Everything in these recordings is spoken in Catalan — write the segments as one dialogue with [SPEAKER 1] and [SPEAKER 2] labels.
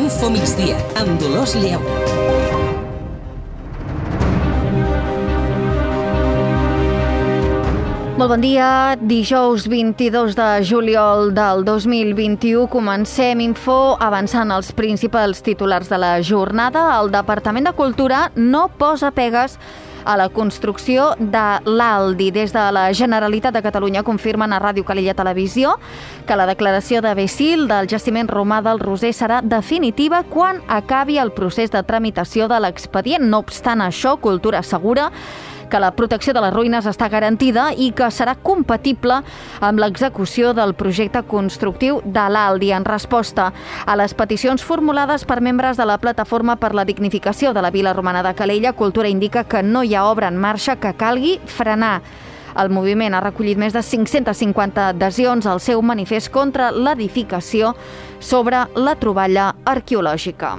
[SPEAKER 1] Info Migdia, amb Dolors Lleó.
[SPEAKER 2] Molt bon dia, dijous 22 de juliol del 2021. Comencem Info avançant els principals titulars de la jornada. El Departament de Cultura no posa pegues a la construcció de l'Aldi. Des de la Generalitat de Catalunya confirmen a Ràdio Calella Televisió que la declaració de Becil del jaciment romà del Roser serà definitiva quan acabi el procés de tramitació de l'expedient. No obstant això, Cultura assegura que la protecció de les ruïnes està garantida i que serà compatible amb l'execució del projecte constructiu de l'Aldi. En resposta a les peticions formulades per membres de la Plataforma per la Dignificació de la Vila Romana de Calella, Cultura indica que no hi ha obra en marxa que calgui frenar. El moviment ha recollit més de 550 adhesions al seu manifest contra l'edificació sobre la troballa arqueològica.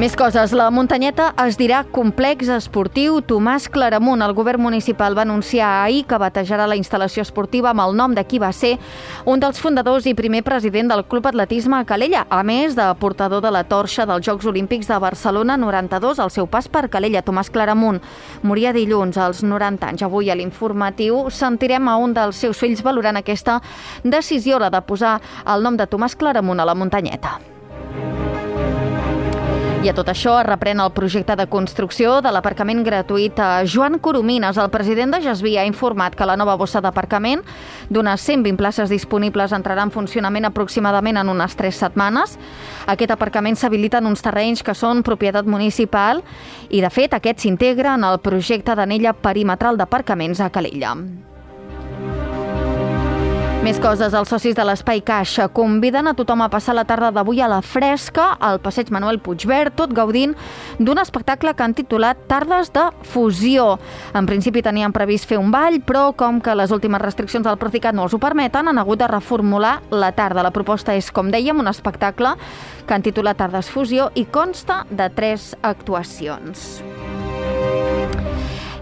[SPEAKER 2] Més coses. La muntanyeta es dirà Complex Esportiu Tomàs Claramunt. El govern municipal va anunciar ahir que batejarà la instal·lació esportiva amb el nom de qui va ser un dels fundadors i primer president del Club Atletisme a Calella, a més de portador de la torxa dels Jocs Olímpics de Barcelona 92 al seu pas per Calella. Tomàs Claramunt moria dilluns als 90 anys. Avui a l'informatiu sentirem a un dels seus fills valorant aquesta decisió, la de posar el nom de Tomàs Claramunt a la muntanyeta. I a tot això es reprèn el projecte de construcció de l'aparcament gratuït a Joan Coromines. El president de Gesví ha informat que la nova bossa d'aparcament d'unes 120 places disponibles entrarà en funcionament aproximadament en unes 3 setmanes. Aquest aparcament s'habilita en uns terrenys que són propietat municipal i, de fet, aquest s'integra en el projecte d'anella perimetral d'aparcaments a Calella. Més coses. Els socis de l'Espai Caixa conviden a tothom a passar la tarda d'avui a la fresca al passeig Manuel Puigverd, tot gaudint d'un espectacle que han titulat Tardes de Fusió. En principi tenien previst fer un ball, però com que les últimes restriccions del Procicat no els ho permeten, han hagut de reformular la tarda. La proposta és, com dèiem, un espectacle que han titulat Tardes Fusió i consta de 3 actuacions.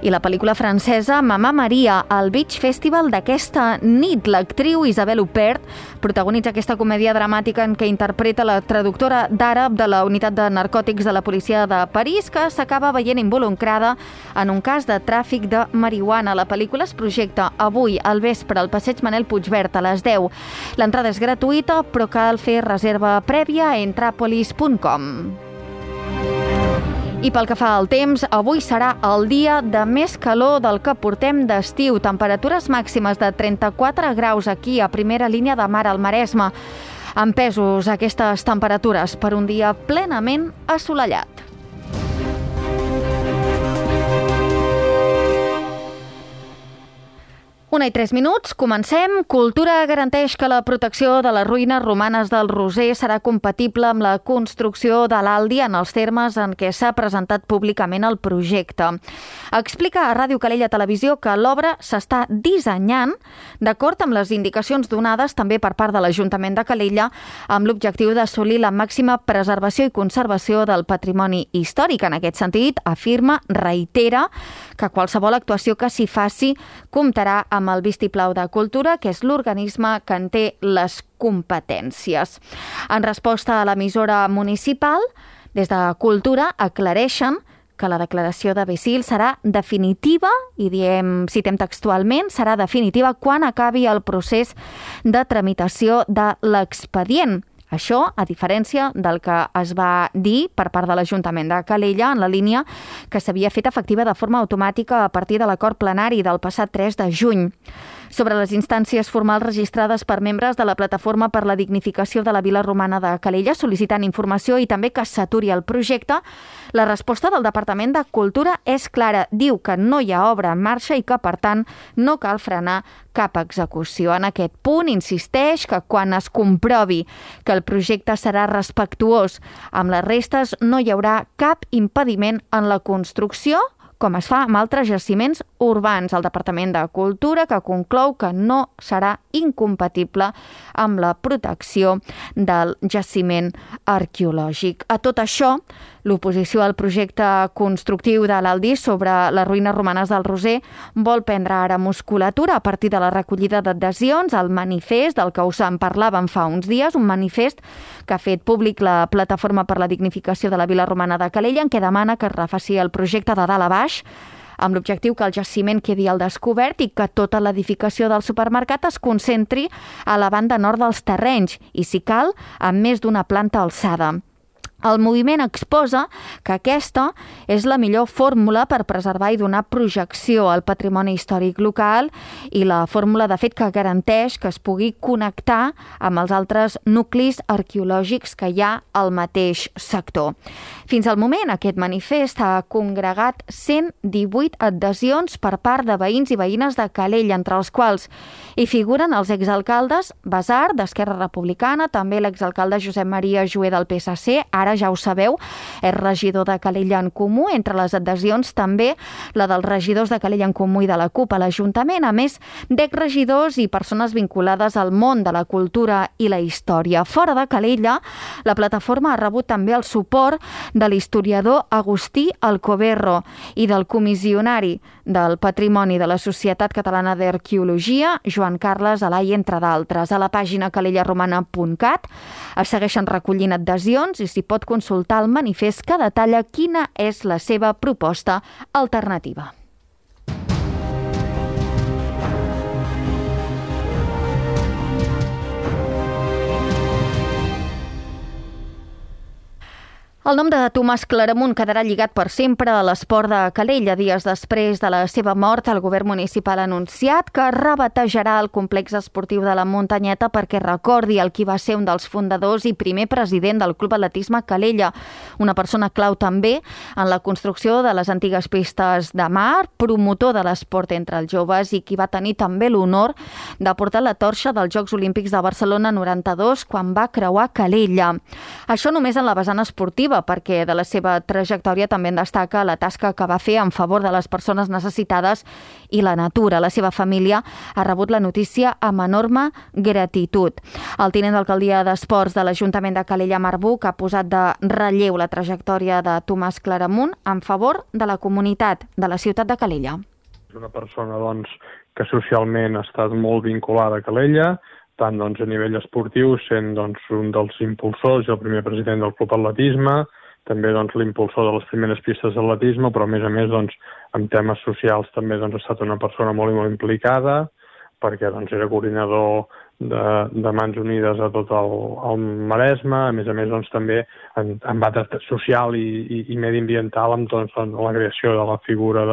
[SPEAKER 2] I la pel·lícula francesa Mamma Maria, al Beach Festival d'aquesta nit. L'actriu Isabelle Huppert protagonitza aquesta comèdia dramàtica en què interpreta la traductora d'àrab de la unitat de narcòtics de la policia de París, que s'acaba veient involucrada en un cas de tràfic de marihuana. La pel·lícula es projecta avui al vespre al passeig Manel Puigverd a les 10. L'entrada és gratuïta, però cal fer reserva prèvia a entrapolis.com. I pel que fa al temps, avui serà el dia de més calor del que portem d'estiu. Temperatures màximes de 34 graus aquí a primera línia de mar al Maresme. Empesos aquestes temperatures per un dia plenament assolellat. 1:03, comencem. Cultura garanteix que la protecció de les ruïnes romanes del Roser serà compatible amb la construcció de l'Aldi en els termes en què s'ha presentat públicament el projecte. Explica a Ràdio Calella Televisió que l'obra s'està dissenyant d'acord amb les indicacions donades també per part de l'Ajuntament de Calella amb l'objectiu d'assolir la màxima preservació i conservació del patrimoni històric. En aquest sentit, afirma, reitera, que qualsevol actuació que s'hi faci comptarà amb el vistiplau de Cultura, que és l'organisme que en té les competències. En resposta a l'emissora municipal, des de Cultura aclareixen que la declaració de Becil serà definitiva, i citem textualment, serà definitiva quan acabi el procés de tramitació de l'expedient. Això, a diferència del que es va dir per part de l'Ajuntament de Calella en la línia que s'havia fet efectiva de forma automàtica a partir de l'acord plenari del passat 3 de juny. Sobre les instàncies formals registrades per membres de la Plataforma per la Dignificació de la Vila Romana de Calella sol·licitant informació i també que s'aturi el projecte, la resposta del Departament de Cultura és clara. Diu que no hi ha obra en marxa i que, per tant, no cal frenar cap execució. En aquest punt insisteix que quan es comprovi que el projecte serà respectuós amb les restes no hi haurà cap impediment en la construcció, com es fa amb altres jaciments urbans. El Departament de Cultura que conclou que no serà incompatible amb la protecció del jaciment arqueològic. A tot això L'oposició al projecte constructiu de l'Aldi sobre les ruïnes romanes del Roser vol prendre ara musculatura a partir de la recollida d'adhesions al manifest del que us en parlàvem fa uns dies, un manifest que ha fet públic la Plataforma per la Dignificació de la Vila Romana de Calella, en què demana que es refaci el projecte de dalt a baix, amb l'objectiu que el jaciment quedi al descobert i que tota l'edificació del supermercat es concentri a la banda nord dels terrenys i, si cal, amb més d'una planta alçada. El moviment exposa que aquesta és la millor fórmula per preservar i donar projecció al patrimoni històric local i la fórmula, de fet, que garanteix que es pugui connectar amb els altres nuclis arqueològics que hi ha al mateix sector. Fins al moment, aquest manifest ha congregat 118 adhesions per part de veïns i veïnes de Calella, entre els quals hi figuren els exalcaldes Basar, d'Esquerra Republicana, també l'exalcalde Josep Maria Joé del PSC, ara ja ho sabeu, és regidor de Calella en Comú. Entre les adhesions també la dels regidors de Calella en Comú i de la CUP a l'Ajuntament, a més d'exregidors i persones vinculades al món de la cultura i la història. Fora de Calella, la plataforma ha rebut també el suport de l'historiador Agustí Alcoberro i del comissionari del Patrimoni de la Societat Catalana d'Arqueologia, Joan Carles Alai, entre d'altres. A la pàgina calellaromana.cat es segueixen recollint adhesions i s'hi pot consultar el manifest que detalla quina és la seva proposta alternativa. El nom de Tomàs Claramunt quedarà lligat per sempre a l'esport de Calella. Dies després de la seva mort, el govern municipal ha anunciat que rebatejarà el complex esportiu de la Muntanyeta perquè recordi el qui va ser un dels fundadors i primer president del Club Atletisme Calella, una persona clau també en la construcció de les antigues pistes de mar, promotor de l'esport entre els joves i qui va tenir també l'honor de portar la torxa dels Jocs Olímpics de Barcelona 92 quan va creuar Calella. Això només en la vessant esportiva, perquè de la seva trajectòria també en destaca la tasca que va fer en favor de les persones necessitades i la natura. La seva família ha rebut la notícia amb enorme gratitud. El tinent d'alcaldia d'Esports de l'Ajuntament de Calella, Marc Buch, ha posat de relleu la trajectòria de Tomàs Claramunt en favor de la comunitat de la ciutat de Calella.
[SPEAKER 3] És una persona que socialment ha estat molt vinculada a Calella, tant a nivell esportiu, sent un dels impulsors i el primer president del Club Atletisme, també l'impulsor de les primeres pistes d'atletisme, però a més, en temes socials també ha estat una persona molt i molt implicada, perquè era coordinador de Mans Unides a tot el Maresme, a més, també en àmbit social i mediambiental amb la creació de la figura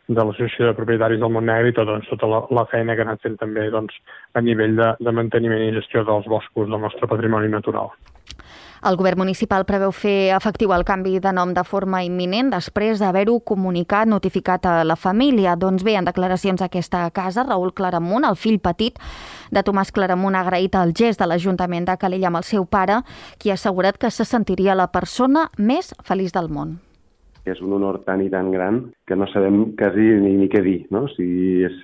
[SPEAKER 3] de l'Associació de Propietaris del Montnegre i tota la feina que ha anat fent també a nivell de manteniment i gestió dels boscos del nostre patrimoni natural.
[SPEAKER 2] El govern municipal preveu fer efectiu el canvi de nom de forma imminent després d'haver-ho notificat a la família. Doncs bé, en declaracions a aquesta casa, Raül Claramunt, el fill petit de Tomàs Claramunt, ha agraït el gest de l'Ajuntament de Calella amb el seu pare, qui ha assegurat que se sentiria la persona més feliç del món.
[SPEAKER 4] És un honor tan i tan gran que no sabem quasi ni què dir, no? O sigui, és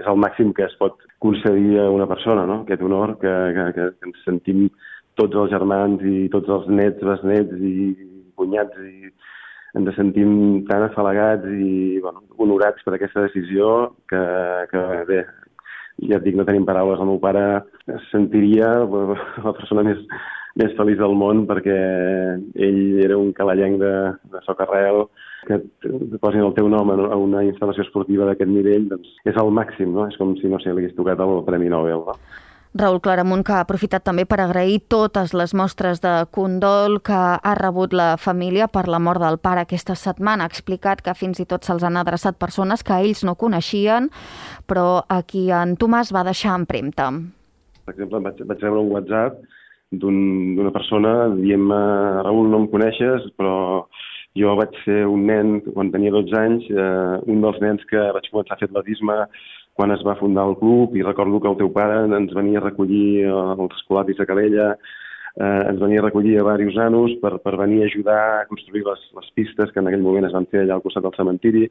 [SPEAKER 4] el màxim que es pot concedir a una persona, no? Aquest honor que ens sentim tots els germans i tots els nets, besnets i cunyats i ens sentim tan afalagats i honorats per aquesta decisió que bé, ja et dic, no tenim paraules. El meu pare es sentiria la persona més feliç del món perquè ell era un calellenc de socarrel, que posin el teu nom a una instal·lació esportiva d'aquest nivell, doncs és el màxim, no? És com si, no sé, li hagués tocat el Premi Nobel, no?
[SPEAKER 2] Raül Claramunt, que ha aprofitat també per agrair totes les mostres de condol que ha rebut la família per la mort del pare aquesta setmana. Ha explicat que fins i tot se'ls han adreçat persones que ells no coneixien, però a qui en Tomàs va deixar empremta.
[SPEAKER 4] Per exemple, vaig rebre un WhatsApp d'una persona dient-me: Raül, no em coneixes, però jo vaig ser un nen quan tenia 12 anys, un dels nens que vaig començar a fer atletisme quan es va fundar el club, i recordo que el teu pare ens venia a recollir als escolaris de Calella, ens venia a recollir a diversos anos per venir a ajudar a construir les pistes que en aquell moment es van fer allà al costat del cementiri,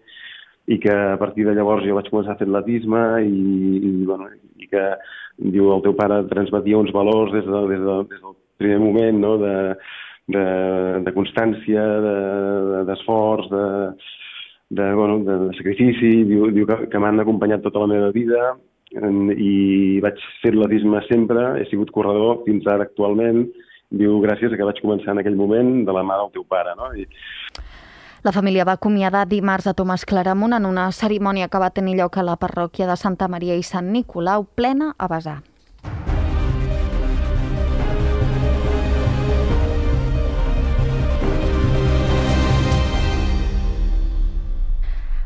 [SPEAKER 4] i que a partir de llavors jo vaig començar a fer atletisme i que, diu, el teu pare transmetia uns valors des del primer moment, no? de constància, d'esforç, de sacrifici. Diu que m'han acompanyat tota la meva vida i vaig fer atletisme sempre, he sigut corredor fins ara actualment. Diu, gràcies a que vaig començar en aquell moment de la mà del teu pare, no?
[SPEAKER 2] La família va acomiadar dimarts a Tomàs Claramunt en una cerimònia que va tenir lloc a la parròquia de Santa Maria i Sant Nicolau, plena a vessar.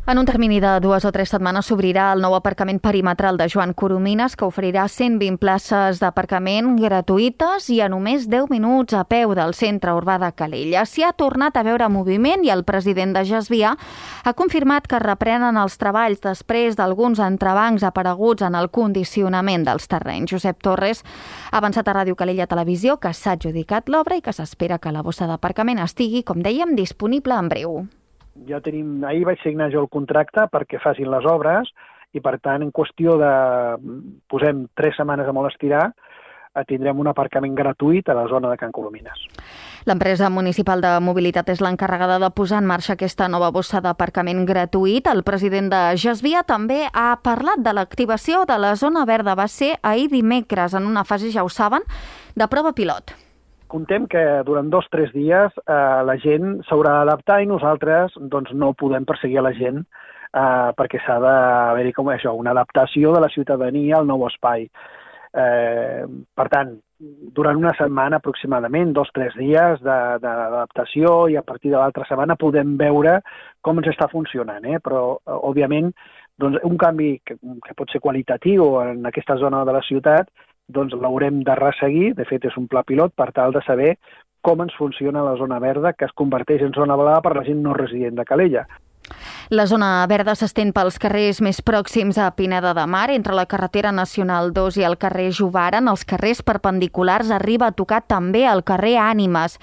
[SPEAKER 2] En un termini de 2 o 3 setmanes s'obrirà el nou aparcament perimetral de Joan Coromines, que oferirà 120 places d'aparcament gratuïtes i a només 10 minuts a peu del centre urbà de Calella. S'hi ha tornat a veure moviment i el president de Gesvia ha confirmat que reprenen els treballs després d'alguns entrebancs apareguts en el condicionament dels terrenys. Josep Torres ha avançat a Ràdio Calella Televisió que s'ha adjudicat l'obra i que s'espera que la bossa d'aparcament estigui, com dèiem, disponible en breu.
[SPEAKER 5] Ahir vaig signar jo el contracte perquè facin les obres i, per tant, en qüestió de, posem 3 setmanes a molt estirar, tindrem un aparcament gratuït a la zona de Can Coromines.
[SPEAKER 2] L'empresa municipal de mobilitat és l'encarregada de posar en marxa aquesta nova bossa d'aparcament gratuït. El president de Gesvia també ha parlat de l'activació de la zona verda. Va ser ahir dimecres, en una fase, ja ho saben, de prova pilot.
[SPEAKER 5] Contem que durant 2 o 3 dies la gent s'haurà d'adaptar i nosaltres no podem perseguir la gent perquè s'ha d'haver-hi com això, una adaptació de la ciutadania al nou espai. Per tant, durant una setmana aproximadament, 2 o 3 dies d'adaptació i a partir de l'altra setmana podem veure com ens està funcionant. Però, òbviament, un canvi que pot ser qualitatiu en aquesta zona de la ciutat l'haurem de resseguir. De fet, és un pla pilot per tal de saber com ens funciona la zona verda, que es converteix en zona blava per la gent no resident de Calella.
[SPEAKER 2] La zona verda s'estén pels carrers més pròxims a Pineda de Mar, entre la carretera nacional 2 i el carrer Jovara. En els carrers perpendiculars arriba a tocar també el carrer Ànimes.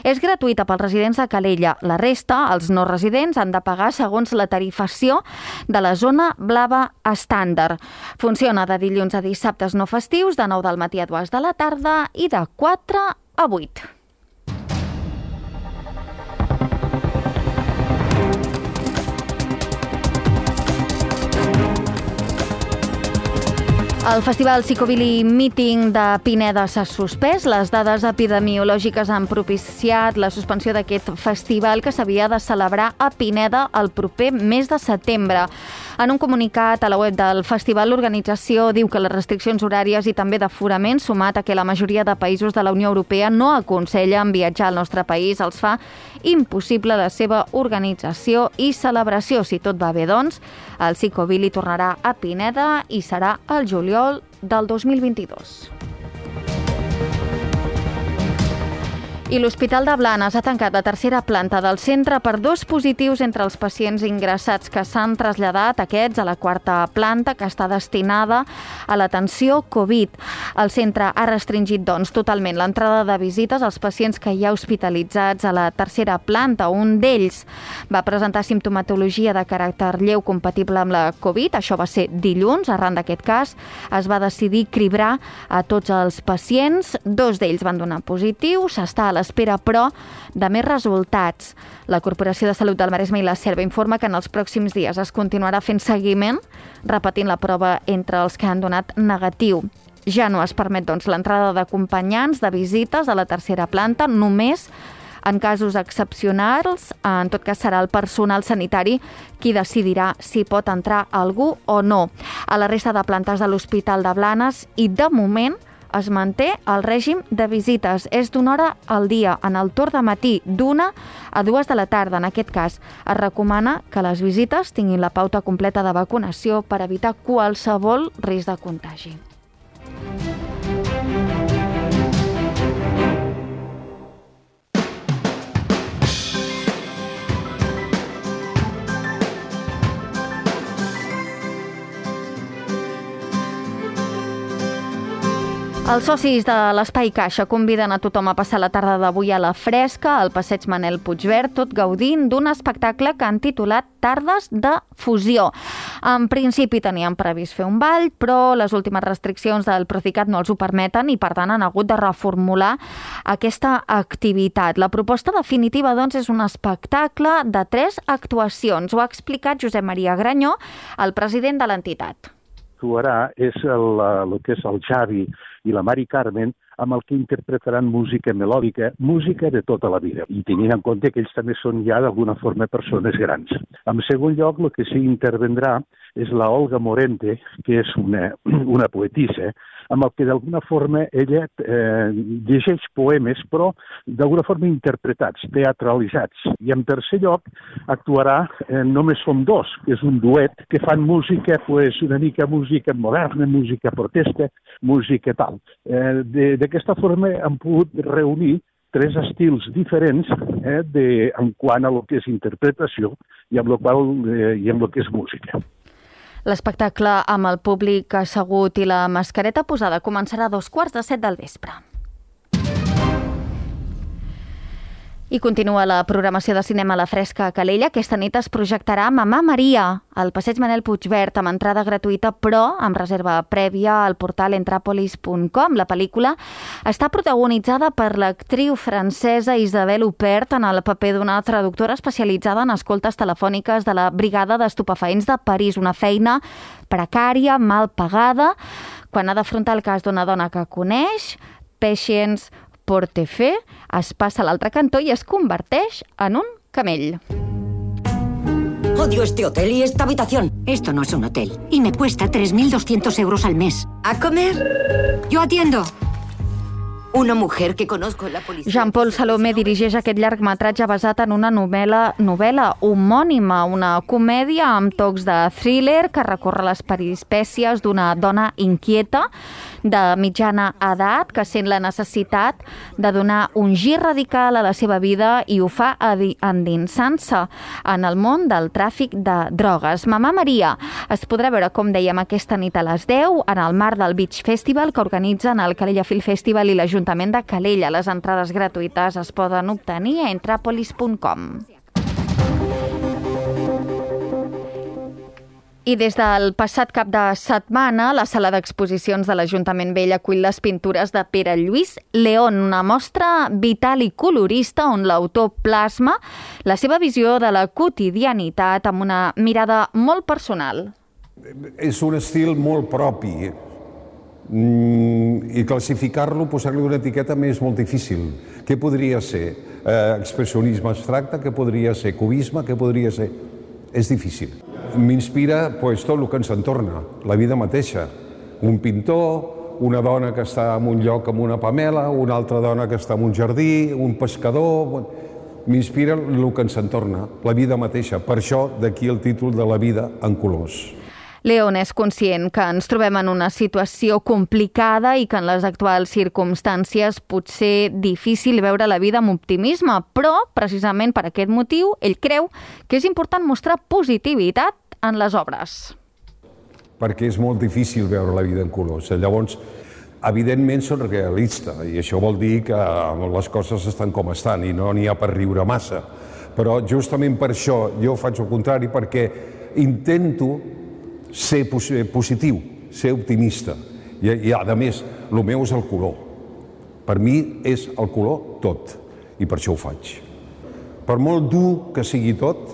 [SPEAKER 2] És gratuïta pels residents de Calella. La resta, els no residents, han de pagar segons la tarifació de la zona blava estàndard. Funciona de dilluns a dissabtes no festius, de 9 del matí a 2 de la tarda i de 4 a 8. El Festival Psicobili Meeting de Pineda s'ha suspès. Les dades epidemiològiques han propiciat la suspensió d'aquest festival que s'havia de celebrar a Pineda el proper mes de setembre. En un comunicat a la web del festival, l'organització diu que les restriccions horàries i també d'aforament, sumat a que la majoria de països de la Unió Europea no aconsellen viatjar al nostre país, els fa impossible la seva organització i celebració. Si tot va bé, doncs, el Psicobili tornarà a Pineda i serà el juliol del 2022. I l'Hospital de Blanes ha tancat la tercera planta del centre per 2 positius entre els pacients ingressats que s'han traslladat aquests a la 4a planta, que està destinada a l'atenció Covid. El centre ha restringit, doncs, totalment l'entrada de visites als pacients que hi ha hospitalitzats a la tercera planta. Un d'ells va presentar simptomatologia de caràcter lleu compatible amb la Covid. Això va ser dilluns. Arran d'aquest cas, es va decidir cribrar a tots els pacients. 2 d'ells van donar positiu. S'està a l'espera, però, de més resultats. La Corporació de Salut del Maresme i la Selva informa que en els pròxims dies es continuarà fent seguiment, repetint la prova entre els que han donat negatiu. Ja no es permet, doncs, l'entrada d'acompanyants de visites a la tercera planta, només en casos excepcionals. En tot cas, serà el personal sanitari qui decidirà si pot entrar algú o no. A la resta de plantes de l'Hospital de Blanes i, de moment, es manté el règim de visites. És d'1 hora al dia, en el torn de matí, d'1 a 2 de la tarda. En aquest cas, es recomana que les visites tinguin la pauta completa de vacunació per evitar qualsevol risc de contagi. El Els socis de l'Espai Caixa conviden a tothom a passar la tarda d'avui a la fresca, al passeig Manel Puigverd, tot gaudint d'un espectacle que han titulat Tardes de Fusió. En principi tenien previst fer un ball, però les últimes restriccions del Procicat no els ho permeten i, per tant, han hagut de reformular aquesta activitat. La proposta definitiva, doncs, és un espectacle de 3 actuacions. Ho ha explicat Josep Maria Granyó, el president de l'entitat.
[SPEAKER 6] Actuarà és el que és el Xavi i la Mari Carmen, amb el que interpretaran música melòdica, música de tota la vida, i tenint en compte que ells també són ja d'alguna forma persones grans. En segon lloc, el que sí intervendrà és la Olga Morente, que és una poetissa, amb el que d'alguna forma ella llegeix poemes, però d'alguna forma interpretats, teatralitzats. I en tercer lloc actuarà Només som dos, que és un duet que fan música, una mica música moderna, música protesta, música tal. D'aquesta forma han pogut reunir 3 estils diferents en quant a lo que és interpretació i amb lo que és música.
[SPEAKER 2] L'espectacle amb el públic assegut i la mascareta posada començarà a 7:15 del vespre. I continua la programació de cinema a la Fresca a Calella. Aquesta nit es projectarà Mamà Maria, al passeig Manel Puigverd, amb entrada gratuïta, però amb reserva prèvia al portal entrapolis.com. La pel·lícula està protagonitzada per l'actriu francesa Isabelle Huppert en el paper d'una traductora especialitzada en escoltes telefòniques de la Brigada d'Estupefaents de París, una feina precària, mal pagada, quan ha d'afrontar el cas d'una dona que coneix, Patience Portefeu, es passa a l'altre cantó i es converteix en un camell.
[SPEAKER 7] Odio este hotel y esta habitación.
[SPEAKER 8] Esto no es un hotel y me cuesta 3.200 euros al mes.
[SPEAKER 7] ¿A comer?
[SPEAKER 8] Yo atiendo.
[SPEAKER 7] Una mujer que conozco en la policía.
[SPEAKER 2] Jean-Paul Salomé dirigeix aquest llargmetratge basat en una novel·la homònima, una comèdia amb tocs de thriller que recorre les peripècies d'una dona inquieta de mitjana edat que sent la necessitat de donar un gir radical a la seva vida i ho fa endinsant-se en el món del tràfic de drogues. Mamà Maria es podrà veure, com dèiem, aquesta nit a les 10 en el marc del Beach Festival que organitzen el Calella Film Festival i l'Ajuntament de Calella. Les entrades gratuïtes es poden obtenir a entrapolis.com. I des del passat cap de setmana, la sala d'exposicions de l'Ajuntament Vell acull les pintures de Pere Lluís León, una mostra vital i colorista on l'autor plasma la seva visió de la quotidianitat amb una mirada molt personal.
[SPEAKER 9] És un estil molt propi i classificar-lo, posar-li una etiqueta és molt difícil. Què podria ser? Expressionisme abstracte? Què podria ser? Cubisme? Què podria ser? És difícil. M'inspira tot el que ens entorna, la vida mateixa. Un pintor, una dona que està en un lloc amb una pamela, una altra dona que està en un jardí, un pescador... M'inspira el que ens entorna, la vida mateixa. Per això, d'aquí el títol de La vida en colors.
[SPEAKER 2] León és conscient que ens trobem en una situació complicada i que en les actuals circumstàncies pot ser difícil veure la vida amb optimisme, però, precisament per aquest motiu, ell creu que és important mostrar positivitat en les obres.
[SPEAKER 9] Perquè és molt difícil veure la vida en colors. Llavors, evidentment, són realista, i això vol dir que les coses estan com estan i no n'hi ha per riure massa. Però justament per això jo faig el contrari, perquè intento ser positiu, ser optimista. I a més, el meu és el color. Per mi és el color tot, i per això ho faig. Per molt dur que sigui tot,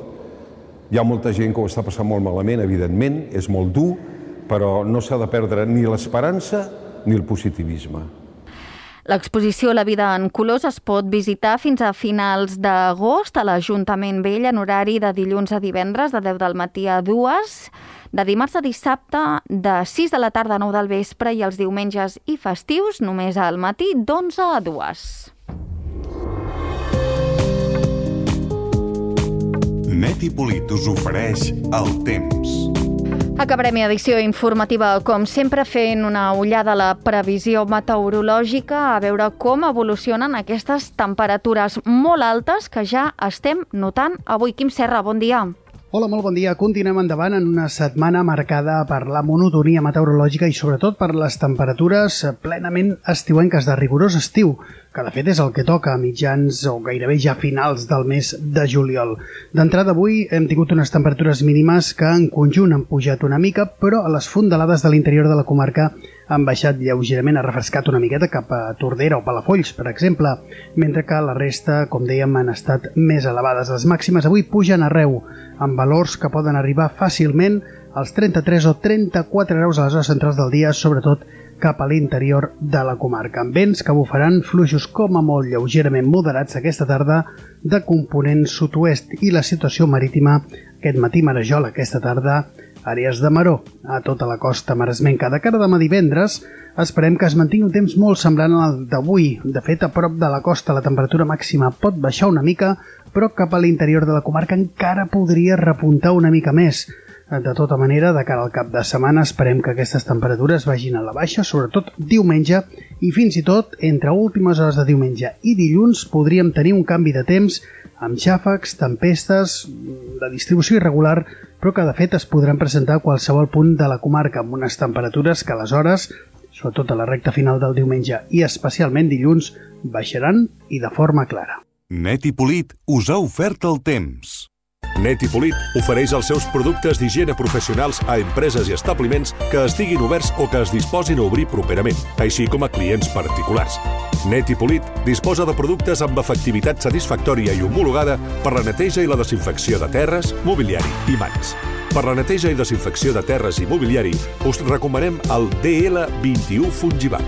[SPEAKER 9] hi ha molta gent que ho està passant molt malament, evidentment, és molt dur, però no s'ha de perdre ni l'esperança ni el positivisme.
[SPEAKER 2] L'exposició La vida en colors es pot visitar fins a finals d'agost a l'Ajuntament Vell en horari de dilluns a divendres de 10 del matí a 2, de dimarts a dissabte de 6 de la tarda a 9 del vespre i els diumenges i festius només al matí d'11 a 2.
[SPEAKER 10] Neti Polit us ofereix el temps.
[SPEAKER 2] Acabarem edició informativa, com sempre, fent una ullada a la previsió meteorològica, a veure com evolucionen aquestes temperatures molt altes que ja estem notant avui. Quim Serra, bon dia.
[SPEAKER 11] Hola, molt bon dia. Continuem endavant en una setmana marcada per la monotonia meteorològica i sobretot per les temperatures plenament estiuenques, de rigorós estiu, que de fet és el que toca a mitjans o gairebé ja finals del mes de juliol. D'entrada avui hem tingut unes temperatures mínimes que en conjunt han pujat una mica, però a les fondalades de l'interior de la comarca han baixat lleugerament, ha refrescat una miqueta cap a Tordera o Palafolls, per exemple, mentre que la resta, com dèiem, han estat més elevades. Les màximes avui pugen arreu, amb valors que poden arribar fàcilment als 33 o 34 graus a les hores centrals del dia, sobretot cap a l'interior de la comarca, amb vents que bufaran fluixos com a molt lleugerament moderats aquesta tarda de component sud-oest, i la situació marítima aquest matí marejola, aquesta tarda àrees de maró a tota la costa maresmenca. De cara a demà divendres esperem que es mantingui un temps molt semblant al d'avui. De fet, a prop de la costa la temperatura màxima pot baixar una mica, però cap a l'interior de la comarca encara podria repuntar una mica més. De tota manera, de cara al cap de setmana esperem que aquestes temperatures vagin a la baixa, sobretot diumenge, i fins i tot entre últimes hores de diumenge i dilluns podríem tenir un canvi de temps amb xàfecs, tempestes, de distribució irregular, però que de fet es podran presentar a qualsevol punt de la comarca, amb unes temperatures que aleshores, sobretot a la recta final del diumenge i especialment dilluns, baixaran i de forma clara.
[SPEAKER 10] Net i Polit us ha ofert el temps. Net i Polit ofereix els seus productes d'higiene professionals a empreses i establiments que estiguin oberts o que es disposin a obrir properament, així com a clients particulars. Net i Polit disposa de productes amb efectivitat satisfactòria i homologada per la neteja i la desinfecció de terres, mobiliari i mans. Per la neteja i desinfecció de terres i mobiliari us recomanem el DL21 Fungival.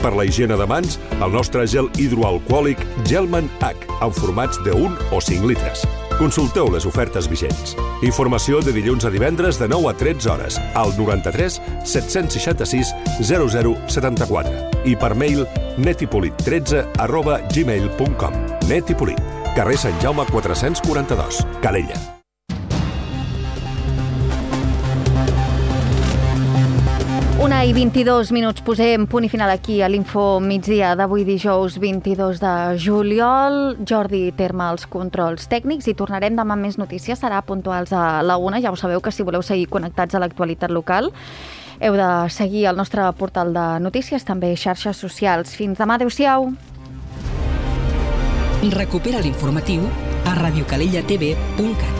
[SPEAKER 10] Per la higiene de mans, el nostre gel hidroalcohòlic Gelman H, en formats de 1 o 5 litres. Consulteu les ofertes vigents. Informació de dilluns a divendres de 9 a 13 hores al 93 766 0074 i per mail netipolit13@gmail.com. Net i Polit, carrer Sant Jaume 442, Calella.
[SPEAKER 2] Una i 22 minuts, posem punt i final aquí a l'Info Migdia d'avui dijous 22 de juliol. Jordi Terme als controls tècnics i tornarem demà amb més notícies, serà puntuals a la 1. Ja ho sabeu que si voleu seguir connectats a l'actualitat local heu de seguir el nostre portal de notícies, també xarxes socials. Fins demà, adeu-siau.
[SPEAKER 1] Recupera l'informatiu a radiocalellatv.cat.